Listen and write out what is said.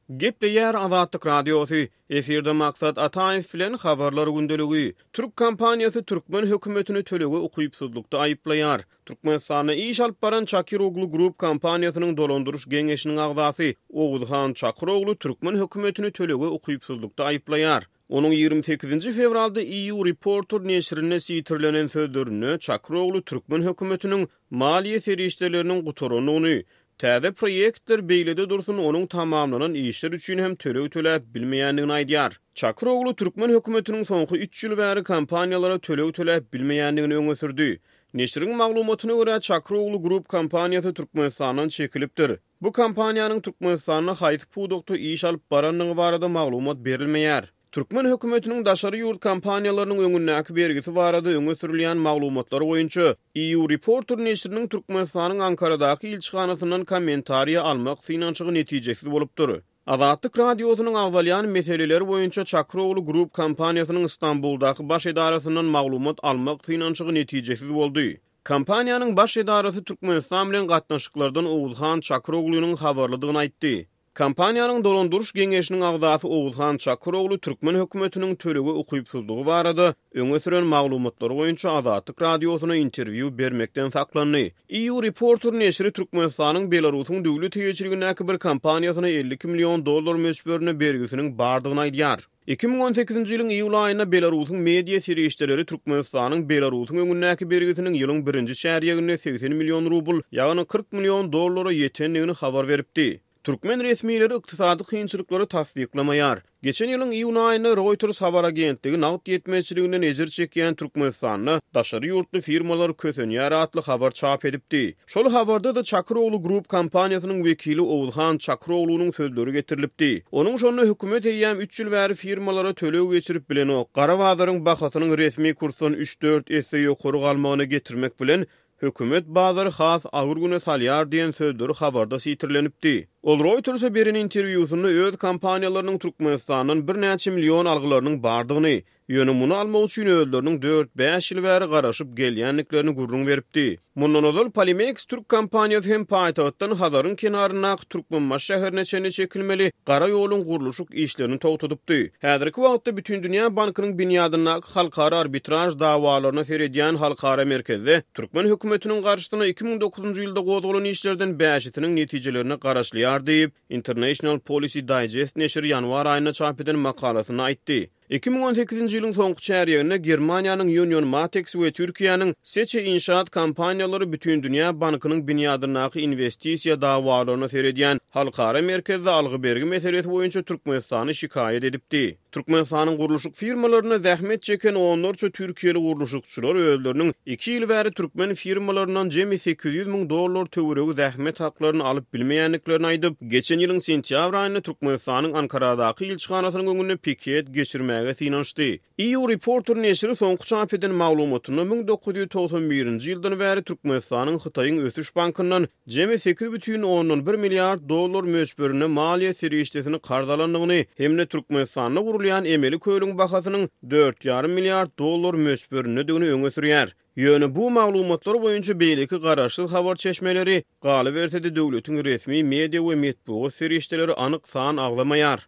Gepleýär Azatlyk Radiosy, Efirde Maksat Ataýew bilen Habarlar gündeligi. Türk kompaniýasy türkmen hökümetini tölege ukypsyzlykda aýyplaýar. Türkmenistanda iş alyp baran Çakiroglu Group kompaniýasynyň dolandyryş geňeşiniň agzasy Oguzhan Çakyroglu türkmen hökümetini tölege ukypsyzlykda aýyplaýar. Onuň 28-nji fewralda EU Reporter neşirinde sitirlenen sözlerinde Çakyroglu türkmen hökümetiniň maliýe serişdeleriniň gutarandygyny, täze proýektler beýlede dursun onuň tamamlanan işler üçin hem töleg töläp bilmeýändigini aýdýar. Çakyroglu türkmen hökümetiniň soňky üç ýyl bäri kompaniýalara töleg töläp bilmeýändigini öňe sürdi. Neşiriň maglumatyna görä, Çakyroglu Group kompaniýasy Türkmenistandan çekilipdir. Bu kompaniýanyň Türkmenistanda haýsy pudakda iş alyp barandygy barada maglumat berilmeýär. Türkmen hökümetiniň daşary ýurt kompaniýalarynyň öňündäki bergisi barada öňe sürülýän maglumatlar boýunça EU Reporter neşiriniň Türkmenistanyň Ankaradaky ilçihanasyndan kommentariýa almak synanyşygy netijesiz bolupdyr. Azatlyk Radiosynyň agzalýan meseleler boýunça Çakyrogly Group kompaniýasynyň Stambuldaky baş edarasyndan maglumat almak synanyşygy netijesiz boldy. Kompaniýanyň baş edarasy Türkmenistan bilen gatnaşyklardan Oguzhan Çakyroglynyň habarlydygyny aýtdy. Kompaniýanyň dolandyryş geňeşiniň agzasy Oguzhan Çakyrogly türkmen hökümetiniň tölege ukypsyzlygy barada öňe süren maglumatlary boýunça Azatlyk Radiosyna interwýu bermekden saklandy. EU Reporter neşiri Türkmenistanyň Belarusyň döwlet eýeçiligindäki bir kompaniýasyna 52 million dollar möçberinde bergisiniň bardygyny aýdýar. 2018-nji ýylyň iýul aýynda Belarusyň media serişdeleri Türkmenistanyň Belarusyň öňündäki bergisiniň ýylyň birinji çärýeginde 80 million rubl, ýagny 40 million dollara ýetendigini habar beripdi. Türkmen resmileri ykdysady kynçylyklary tassyklamaýar. Geçen ýylyň iýun aýynda Reuters habar agentligi nagt ýetmezçiliginden ejir çekýän Türkmenistanda daşary ýurtly firmalar kösenýär atly habar çap edipdi. Şol habarda-da Çakyrogly Group kompaniýasynyň wekili Oguzhan Çakyroglunyň sözleri getirilipdi. Onuň şonda hökümet eýýäm üç ýyl bäri firmalara töleg geçirip bilenok, gara bazaryň bahasynyň resmi kursdan üç-dört esse ýokary galmagyna getirmek bilen, hökümet bazary has agyr güne salýar diýen sözleri habarda sitirlenipdi. Ol Reuters-e beren interwýusynda öz kompaniýalarynyň Türkmenistandan birnäçe million algylarynyň bardygyny, Ýöne muny almak üçin özleriniň dört-bäş ýyl bäri garaşyp gelýändiklerini gürrüň beripdi. Mundan ozal Polimex türk kompaniýasy hem paýtagtdan Hazaryň kenaryndaky Türkmenbaşy şäherine çenli çekilmeli gara ýoluň gurluşyk işlerini togtadypdy. Häzirki wagtda Bütindünýä bankynyň binýadyndaky halkara arbitraž dawalaryna seredýän halkara merkezde türkmen hökümetiniň garşysyna 2009-njy ýylda gozgalan işlerden bäşisiniň netijelerine garaşylýar diýip, International Policy Digest neşiri ýanwar aýynda çap eden makalasynda aýtdy. 2018-nji ýylyň soňky çärýeginde Germaniýanyň Union Matex we Türkiýäniň Seçe Inşaat kompaniýalary Bütindünýä bankynyň binýadyndaky inwestisiýa dawalaryna seredýän halkara merkezde algy-bergi meselesi boýunça Türkmenistany şikaýat edipdi. Türkmenistanyň gurluşyk firmalarynda zähmet çeken onlarça türkiýeli gurluşykçylar özleriniň iki ýyl bäri türkmen firmalaryndan jemi 800 müň dollar töweregi zähmet haklaryny alyp bilmeýändiklerini aýdyp, geçen ýylyň sentýabr aýynda Türkmenistanyň Ankaradaky ilçihanasynyň öňünde piket geçirmäge synanyşdy. EU Reporter neşiri soňky çap eden maglumatynda 1991-nji ýyldan bäri Türkmenistanyň Hytaýyň Ösüş bankyndan jemi 8,1 milliard dollar möçberinde maliýe serişdesini karz alandygyny hem-de Türkmenistanda gurulýan emeli kölüň bahasynyň 4,5 milliard dollar möçberindedigini öňe sürýär. Ýöne bu maglumatlar boýunça beýleki garaşsyz habar çeşmeleri, galyberse-de döwletiň resmi media we metbugat serişdeleri anyk san agzamaýar.